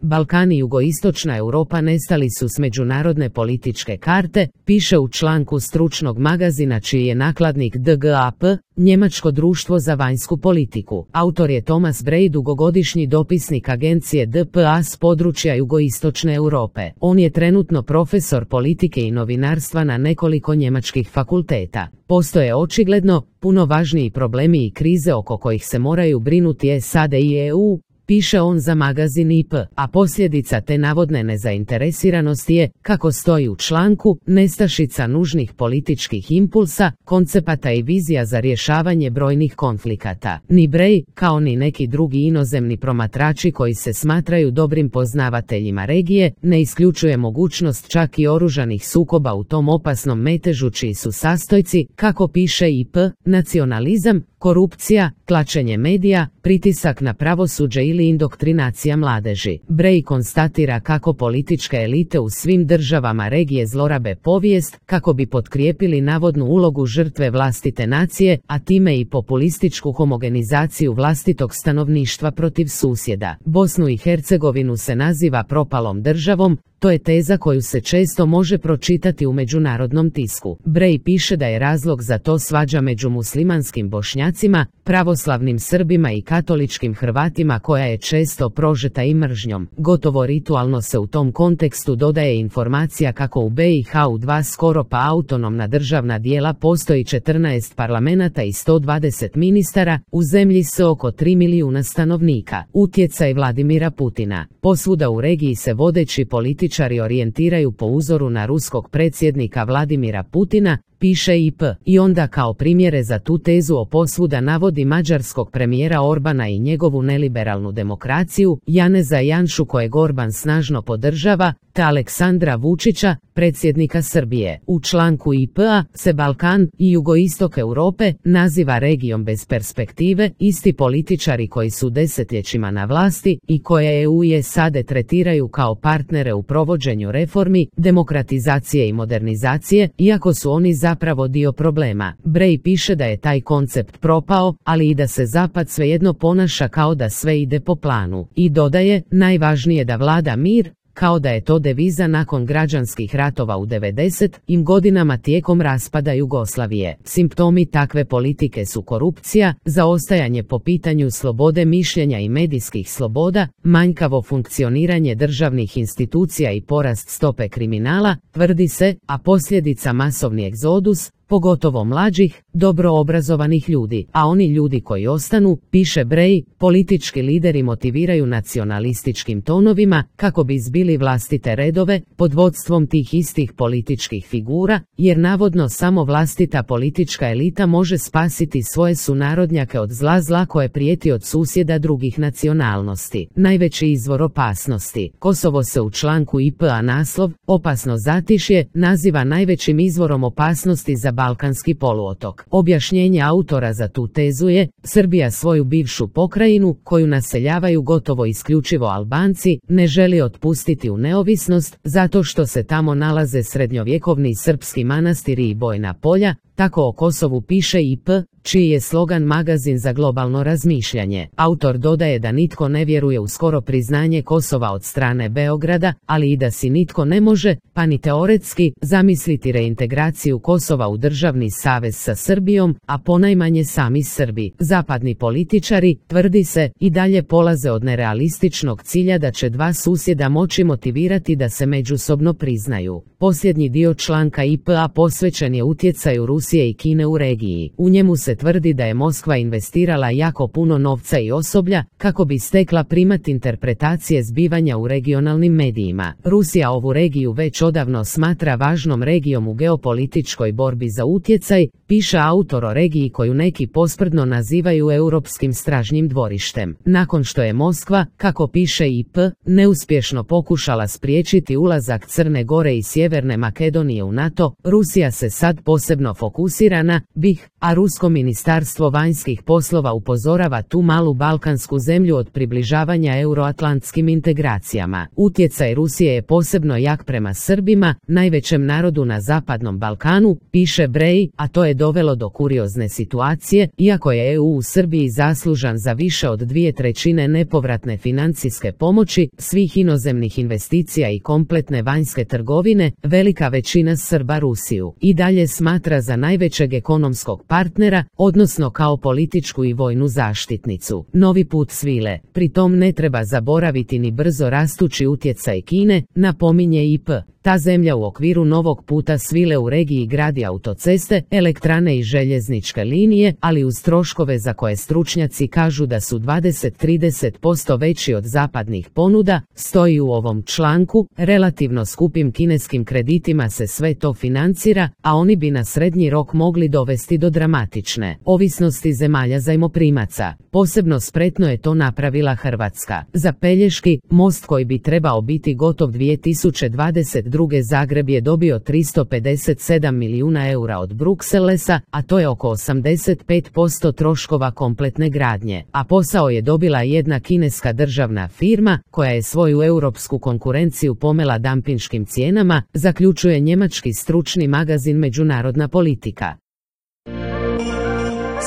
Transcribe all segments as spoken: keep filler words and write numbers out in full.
Balkan i jugoistočna Europa nestali su s međunarodne političke karte, piše u članku stručnog magazina čiji je nakladnik D G A P, Njemačko društvo za vanjsku politiku. Autor je Thomas Bray, dugogodišnji dopisnik agencije D P A s područja jugoistočne Europe. On je trenutno profesor politike i novinarstva na nekoliko njemačkih fakulteta. Postoje očigledno puno važniji problemi i krize oko kojih se moraju brinuti S A D i E U, piše on za magazin I P, a posljedica te navodne nezainteresiranosti je, kako stoji u članku, nestašica nužnih političkih impulsa, koncepata i vizija za rješavanje brojnih konflikata. Ni Bray, kao ni neki drugi inozemni promatrači koji se smatraju dobrim poznavateljima regije, ne isključuje mogućnost čak i oružanih sukoba u tom opasnom metežu čiji su sastojci, kako piše I P, nacionalizam, korupcija, tlačenje medija, pritisak na pravosuđe ili indoktrinacija mladeži. Bray konstatira kako političke elite u svim državama regije zlorabe povijest kako bi potkrijepili navodnu ulogu žrtve vlastite nacije, a time i populističku homogenizaciju vlastitog stanovništva protiv susjeda. Bosnu i Hercegovinu se naziva propalom državom, to je teza koju se često može pročitati u međunarodnom tisku. Bray piše da je razlog za to svađa među muslimanskim Bošnjacima, pravoslavnim Srbima i katoličkim Hrvatima koja je često prožeta i mržnjom. Gotovo ritualno se u tom kontekstu dodaje informacija kako u B i H u dva skoro pa autonomna državna dijela postoji četrnaest parlamenata i sto dvadeset ministara, u zemlji s oko tri milijuna stanovnika. Utjecaj Vladimira Putina. Posvuda u regiji se vodeći političari orijentiraju po uzoru na ruskog predsjednika Vladimira Putina, piše I P, i onda kao primjere za tu tezu o posvuda navodi mađarskog premijera Orbana i njegovu neliberalnu demokraciju, Janeza Janšu kojeg Orban snažno podržava, te Aleksandra Vučića, predsjednika Srbije. U članku I P A se Balkan i jugoistok Europe naziva regijom bez perspektive, isti političari koji su desetljećima na vlasti i koje E U i S A D tretiraju kao partnere u provođenju reformi, demokratizacije i modernizacije, iako su oni zapravo dio problema. Bray piše da je taj koncept propao, ali i da se Zapad svejedno ponaša kao da sve ide po planu. I dodaje, najvažnije da vlada mir, kao da je to deviza nakon građanskih ratova u devedesetim godinama tijekom raspada Jugoslavije. Simptomi takve politike su korupcija, zaostajanje po pitanju slobode mišljenja i medijskih sloboda, manjkavo funkcioniranje državnih institucija i porast stope kriminala, tvrdi se, a posljedica masovni egzodus, pogotovo mlađih, dobro obrazovanih ljudi, a oni ljudi koji ostanu, piše Bray, politički lideri motiviraju nacionalističkim tonovima kako bi zbili vlastite redove pod vodstvom tih istih političkih figura, jer navodno samo vlastita politička elita može spasiti svoje sunarodnjake od zla zla koje prijeti od susjeda drugih nacionalnosti. Najveći izvor opasnosti. Kosovo se u članku I P A naslov, opasno zatišje, naziva najvećim izvorom opasnosti za Balkanski poluotok. Objašnjenje autora za tu tezu je, Srbija svoju bivšu pokrajinu, koju naseljavaju gotovo isključivo Albanci, ne želi otpustiti u neovisnost, zato što se tamo nalaze srednjovjekovni srpski manastiri i bojna polja, tako o Kosovu piše I P, čiji je slogan magazin za globalno razmišljanje. Autor dodaje da nitko ne vjeruje u skoro priznanje Kosova od strane Beograda, ali i da si nitko ne može, pa ni teoretski, zamisliti reintegraciju Kosova u državni savez sa Srbijom, a ponajmanje sami Srbi. Zapadni političari, tvrdi se, i dalje polaze od nerealističnog cilja da će dva susjeda moći motivirati da se međusobno priznaju. Posljednji dio članka I P A posvećen je utjecaju Rusije i Kine u regiji. U njemu se tvrdi da je Moskva investirala jako puno novca i osoblja kako bi stekla primat interpretacije zbivanja u regionalnim medijima. Rusija ovu regiju već odavno smatra važnom regijom u geopolitičkoj borbi za utjecaj, piše autor o regiji koju neki posprdno nazivaju europskim stražnjim dvorištem. Nakon što je Moskva, kako piše I P, neuspješno pokušala spriječiti ulazak Crne Gore i Sjeverne Sjeverne Makedonije u NATO, Rusija se sad posebno fokusira na B i H, a Rusko ministarstvo vanjskih poslova upozorava tu malu balkansku zemlju od približavanja euroatlantskim integracijama. Utjecaj Rusije je posebno jak prema Srbima, najvećem narodu na Zapadnom Balkanu, piše Brej, a to je dovelo do kuriozne situacije, iako je E U u Srbiji zaslužan za više od dvije trećine nepovratne financijske pomoći, svih inozemnih investicija i kompletne vanjske trgovine, velika većina Srba Rusiju i dalje smatra za najvećeg ekonomskog partnera, odnosno kao političku i vojnu zaštitnicu. Novi put svile, pritom ne treba zaboraviti ni brzo rastući utjecaj Kine, napominje I P. Ta zemlja u okviru novog puta svile u regiji gradi autoceste, elektrane i željezničke linije, ali uz troškove za koje stručnjaci kažu da su dvadeset do trideset posto veći od zapadnih ponuda, stoji u ovom članku, relativno skupim kineskim kreditima se sve to financira, a oni bi na srednji rok mogli dovesti do dramatične ovisnosti zemalja zajmoprimaca. Posebno spretno je to napravila Hrvatska. Za Pelješki most koji bi trebao biti gotov dvije tisuće dvadeset druge Zagreb je dobio tristo pedeset sedam milijuna eura od Brukselesa, a to je oko osamdeset pet posto troškova kompletne gradnje, a posao je dobila jedna kineska državna firma, koja je svoju europsku konkurenciju pomela dampinškim cijenama, zaključuje njemački stručni magazin Međunarodna politika.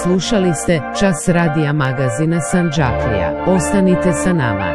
Slušali ste Čas radija magazina Sandžaklija. Ostanite sa nama.